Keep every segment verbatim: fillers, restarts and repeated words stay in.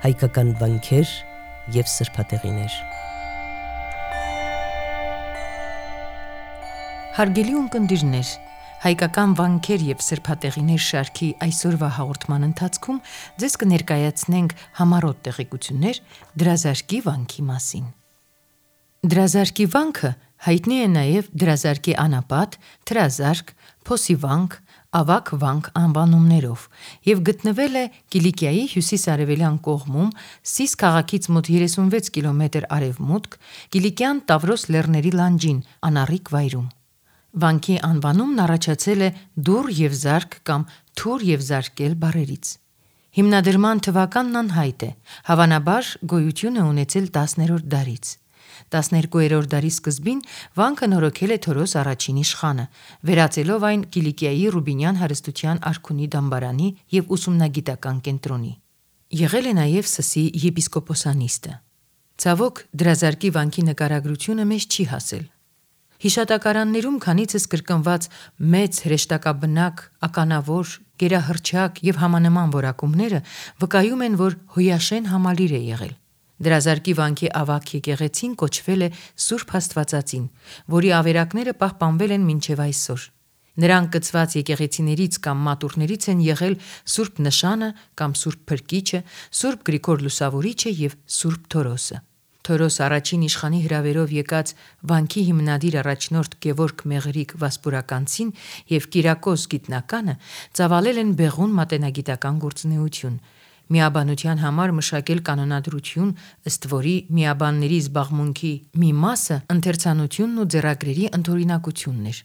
հայկական վանքեր և սրբատեղիներ։ Հարգելի ունկնդիրներ, հայկական վանքեր և սրբատեղիներ շարքի այսօրվա հաղորդման ընթացքում ձեզ կներկայացնենք համառոտ տեղեկություններ Դրազարկի վանքի մասին։ Դրազարկի վանքը հայտնի է նաև Դրազարկի անապատ, Թրազարկ, Փոսի վանք, Ավագ վանք անվանումներով և գտնվել է Կիլիկիայի հյուսիս-արևելյան կողմում Սիս քաղաքից մոտ երեսունվեց կիլոմետր արևմուտք, Կիլիկյան Տավրոս լեռների լանջին, անառիկ վայրում։ Վանքի անվանումն առաջացել է դուռ և զարկ կամ թուր և զարկել բառերից։ Հիմնադրման թվականն անհայտ է, հավանաբար գոյություն է ունեցել տասներորդ դարից։ տասներկուերորդ դարի սկզբին վանքը նորոգել է Թորոս առաջին իշխանը, վերածելով այն Կիլիկիայի Ռուբինյան հարստության արքունի դամբարանի և ուսումնագիտական կենտրոնի։ Եղել է նաև Սսի եպիսկոպոսանիստը։ Ցավոք, Դրազարկի վանքի նկարագրությունը մեզ չի հասել։ Հիշատակարաններում քանիցս կրկնված մեծ հրեշտակաբնակ, ականավոր, գերահռչակ և համանման որակումները վկայում են, որ հոյաշեն համալիր է եղել։ Դրազարկի վանքի ավագ եկեղեցին կոչվել է Սուրբ Աստվածածին, որի ավերակները պահպանվել են մինչև այսօր։ Նրան կցված եկեղեցիներից կամ մատուռներից են եղել Սուրբ Նշանը կամ Սուրբ Փրկիչը, Սուրբ Գրիգոր Լուսավորիչը և Սուրբ Թորոսը։ Թորոս առաջին իշխանի հրավերով եկած վանքի հիմնադիր առաջնորդ Գևորգ Մեղրիկ Վասպուրականցին և Կիրակոս գիտնականը ծավալել են բեղուն մատենագիտական գործունեություն, միաբանության համար մշակել կանոնադրություն, ըստ որի միաբանների զբաղմունքի մի մասը ընթերցանությունն ու ձեռագրերի ընդօրինակությունն էր։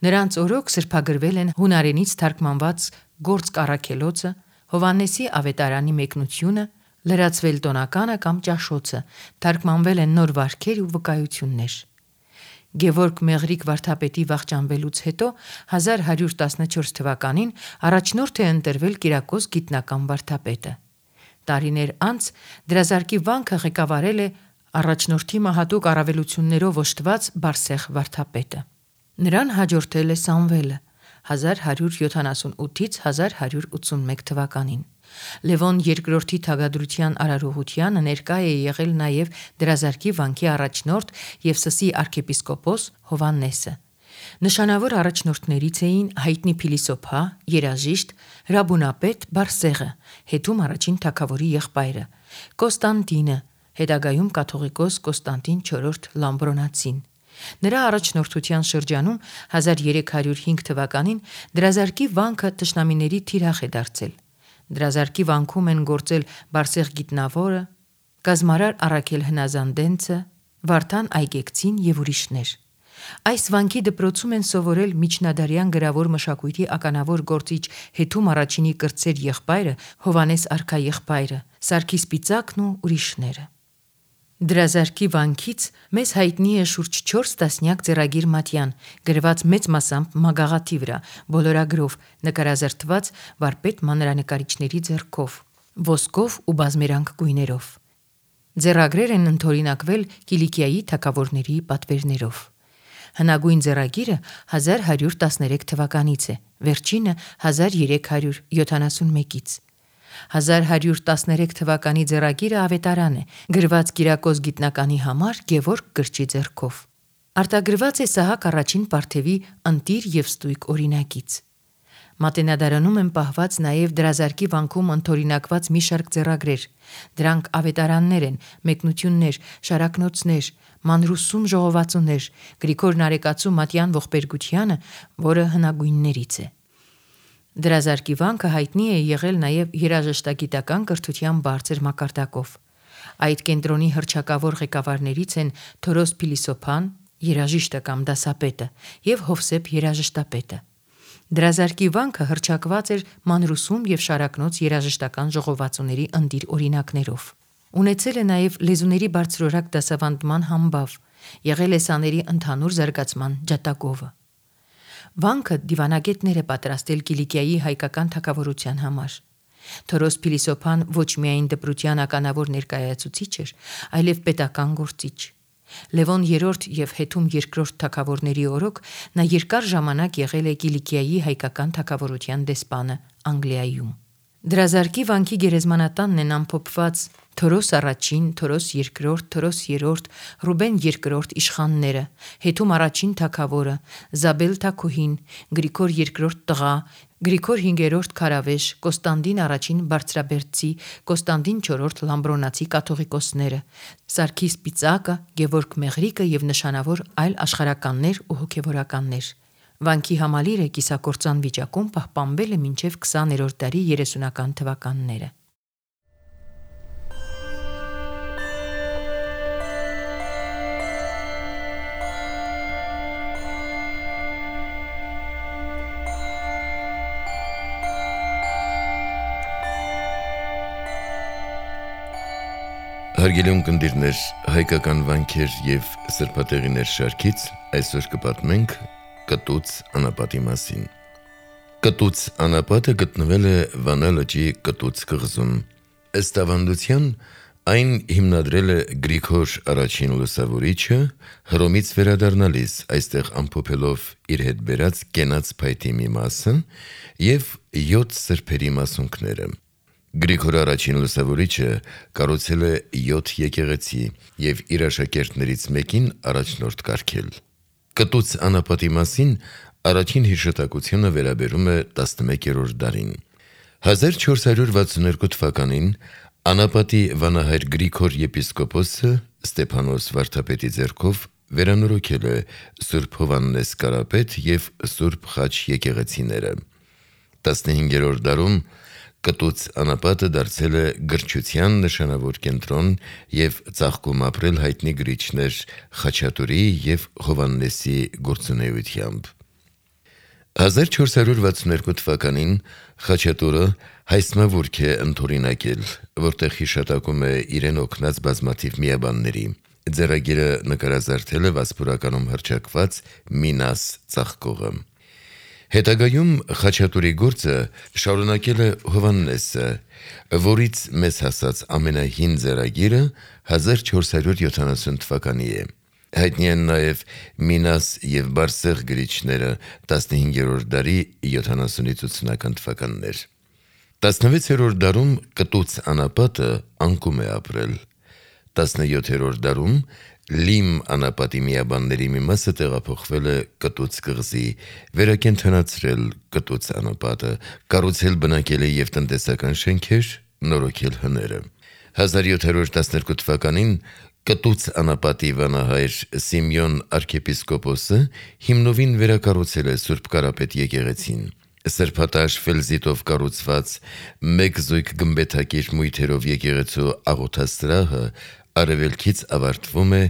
Նրանց օրոք սրբագրվել են հունարենից թարգմանված Գործք առաքելոցը, Հովհաննեսի ավետարանի մեկնությունը, լրացվել տոնականը կամ ճաշոցը, թարգմանվել են նոր վարքեր ու վկայություններ։ Գևորգ Մեղրիկ վարդապետի վախճանվելուց հետո հազար հարյուր տասնչորս թվականին առաջնորդ է ընտրվել Կիրակոս գիտնական վարդապետը։ Տարիներ անց Դրազարկի վանքը ղեկավարել է առաջնորդի մահատուկ առավելություններով օժտված Բարսեղ վարդապետը։ Նրան հաջորդել է Սամվելը հազար հարյուր յոթանասունութից հազար հարյուր ութսունմեկ թվականին։ Լևոն երկրորդի թագադրության արարողությանը ներկա է եղել նաև Դրազարկի վանքի առաջնորդ և Սսի արքեպիսկոպոս Հովհաննեսը։ Նշանավոր առաջնորդներից էին հայտնի փիլիսոփա, երաժիշտ, հրաբունապետ Բարսեղը, հետում առաջին թագավորի եղբայրը, Կոստանդինը, հետագայում կաթողիկոս Կոստանդին չորրորդ Լամբրոնացին։ Նրա առաջնորդության շրջանում հազար երեք հարյուր հինգ թվականին Դրազարկի վանքը թշնամիների թիրախ է դարձել։ Դրազարկի վանքում են գործել Բարսեղ գիտնավորը, կազմարար Առաքել Հնազանդենցը, Վարդան Այգեկցին և ուրիշներ։ Այս վանքի դպրոցում են սովորել միջնադարյան գրավոր մշակույթի ականավոր գործիչ Հետում առաջինի կրտսեր եղբայրը, Հովհաննես արքաեղբայրը, Սարգիս Պիծակն ու ուրիշները։ Դրազարկի վանքից մեզ հայտնի է շուրջ չորս տասնյակ ձեռագիր մատյան, գրված մեծ մասամբ մագաղաթի վրա, բոլորագրով, նկարազարդված վարպետ մանրանկարիչների ձեռքով, ոսկով ու բազմերանգ գույներով։ Ձեռագրեր են ընդօրինակվել Կիլիկիայի թագավորների պատվերներով։ Հնագույն ձեռագիրը հազար հարյուր տասներեք թվականից է, վերջինը հազար երեք հարյուր յոթանասունմեկից։ հազար հարյուր տասներեք թվականի ձեռագիրը ավետարան է, գրված Կիրակոս գիտնականի համար Գևորգ գրչի ձեռքով։ Արտագրված է Սահակ առաջին Պարթևի ընտիր և ստույգ օրինակից։ Մատենադարանում են պահված նաև Դրազարկի վանքում ընդօրինակված մի շարք ձեռագրեր։ Դրանք ավետարաններ են, մեկնություններ, շարակնոցներ, մանրուսում ժողովածուներ, Գրիգոր Նարեկացու մատյան ողբերգությանը, որը հնագույններից է։ Դրազարկի վանքը հայտնի է եղել նաև երաժշտագիտական կրթության բարձր մակարդակով։ Այդ կենտրոնի հռչակավոր ղեկավարներից են Թորոս փիլիսոփան, երաժիշտը կամ դասապետը, և Հովսեփ երաժշտապետը։ Դրազարկի վանքը հռչակված էր մանրուսում և շարակնոց երաժշտական ժողովածուների ընտիր օրինակներով։ Ունեցել է նաև լեզուների բարձրորակ դասավանդման համբավ, եղել է սաների ընդհանուր զարգացման ջատագովը։ Վանքը դիվանագետներ է պատրաստել Կիլիկիայի հայկական թագավորության համար։ Թորոս փիլիսոփան ոչ միայն դպրության ականավոր ներկայացուցիչ էր, այլև պետական գործիչ։ Լևոն երրորդ և Հետում երկրորդ թագավորների օրոք նա երկար ժամանակ եղել է Կիլիկիայի հայկական թագավորության դեսպանը Անգլիայում։ Դրազարկի վանքի գերեզմանատանն են ամփոփված Թորոս առաջին, Թորոս երկրորդ, Թորոս երրորդ, Ռուբեն երկրորդ իշխանները, Հետում առաջին թագավորը, Զաբել թագուհին, Գրիգոր երկրորդ տղա, Գրիգոր հինգերորդ քարավեշ, Կոստանդին առաջին բարձրաբերդցի, Կոստանդին չորրորդ լամբրոնացի կաթողիկոսները, Սարգիս Պիծակը, Գևորգ Մեղրիկը և նշանավոր այլ աշխարհականներ ու հոգևորականներ։ Վանքի համալիրը կիսակործան վիճակում պահպանվել է մինչև քսաներորդ դարի երեսունական թվականները։ Հարգելի ունկնդիրներ, հայկական վանքեր և սրբատեղիներ շարքից այսօր կպատմենք Կտուց անապատի մասին։ Կտուց անապատը գտնվել է Վանա լճի Կտուց կղզում։ Ըստ ավանդության, այն հիմնադրել է Գրիգոր առաջին լուսավորիչը, Հռոմից վերադառնալիս այստեղ ամփոփելով իր հետ բերած կենաց փայտի մի մասը և յոթ սրբերի մասունքները։ Գրիգոր առաջին լուսավորիչը կառուցել է յոթ եկեղեցի և իր աշակերտներից մեկին առաջնորդ կարգել։ Կտուց անապատի մասին առաջին հիշատակությունը վերաբերում է տասնմեկերորդ դարին։ հազար չորս հարյուր վաթսուններկու թվականին անապատի վանահայր Գրիգոր եպիսկոպոսը Ստեփանոս վարդապետի ձեռքով վերանորոգել է Սուրբ Հովհաննես Կարապետ և Սուրբ Խաչ եկեղեցիները։ տասնհինգերորդ դարում Կտուց անապատը դարձել է գրչության նշանավոր կենտրոն և ծաղկում ապրել հայտնի գրիչներ Խաչատուրի և Հովհաննեսի գործունեությամբ։ հազար չորս հարյուր վաթսուններկու թվականին Խաչատուրը հայսմավուրք է ընդօրինակել, որտեղ հիշատակում է իրեն օգնած բազմաթիվ միաբանների։ Ձեռագիրը նկարազարդել է Վասպուրականում հռչակված Մինաս ծաղկողը։ Հետագայում Խաչատուրի գործը շարունակել է Հովհաննեսը, որից մեզ հասած ամենահին ձեռագիրը հազար չորս հարյուր յոթանասուն թվականի է։ Հայտնի են նաև Մինաս և Բարսեղ գրիչները տասնհինգերորդ դարի յոթանասունից ութսունական թվականներ։ տասնվեցերորդ դարում Կտուց անապատը անկում է ապրել։ տասնյոթերորդ դարում Լիմ անապատի միաբանների մի մասը տեղափոխվել է Կտուց կղզի, վերակենդանացրել Կտուց անապատը, կառուցել բնակելի և տնտեսական շենքեր, նորոգել հները։ հազար յոթ հարյուր տասներկու թվականին Կտուց անապատի վանահայր Սիմեոն արքեպիսկոպոսը հիմնովին վերակառուցել է Սուրբ Կարապետ եկեղեցին։ Սրբատաշ ֆելզիտով կառուցված մեկ զույգ գմբեթակիր մույթերով եկեղեցու աղոթասրահը արևելքից ավարտվում է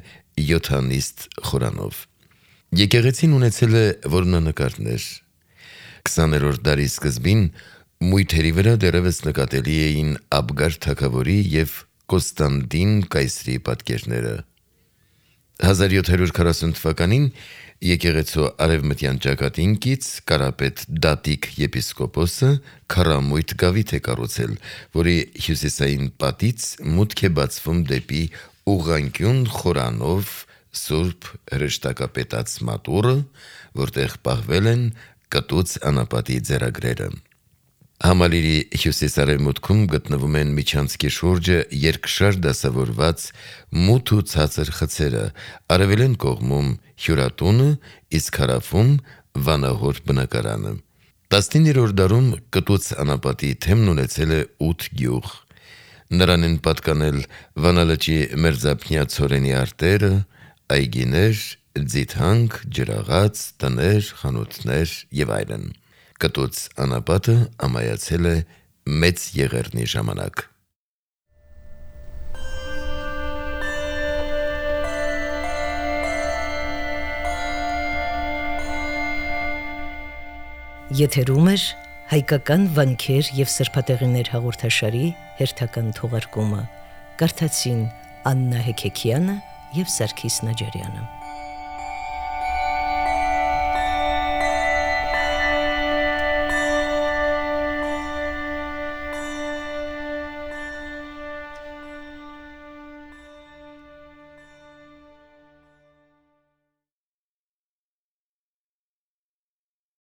յոթանիստ խորանով։ Եկեղեցին ունեցել է որմնանկարներ։ քսաներորդ դարի սկզբին մույթերի վրա դեռևս նկատելի էին Աբգար թագավորի և Կոստանդին կայսրի պատկերները։ հազար յոթ հարյուր քառասուն թվականին եկեղեցու արևմտյան ճակատին կից Կարապետ Դատիկ եպիսկոպոսը քառամույթ գավիթ է կառուցել, որի հյուսիսային պատից մուտք է բացվում դեպի ուղղանկյուն խորանով Սուրբ հրեշտակապետած մատուռը, որտեղ պահվել են Կտուց անապատի ձեռագրերը։ Համալիրի հյուսիս-արևմուտքում գտնվում են միջանցքի շուրջը երկշար դասավորված մութ ու ցածր խցերը, արևելեն կողմում հյուրատունը, իսկ հարավում վանահոր բնակարանը։ տասնիններորդ դարում Կտուց անապատի թեմն ունեցել է ութ գյուղ։ Նրան են պատկանել Վանա լճի մերձափնյա ցորենի արտերը, այգիներ, ձիթանք, ջրաղաց, տներ, խանութներ և այլն։ Կտուց անապատը ամայացել է Մեծ Եղեռնի ժամանակ։ Եթերում է հայկական վանքեր և սրբատեղիներ հաղորդաշարի հերթական թողարկումը։ Կարդացին Աննա Հեքեքյանը և Սարգիս Նաջարյանը։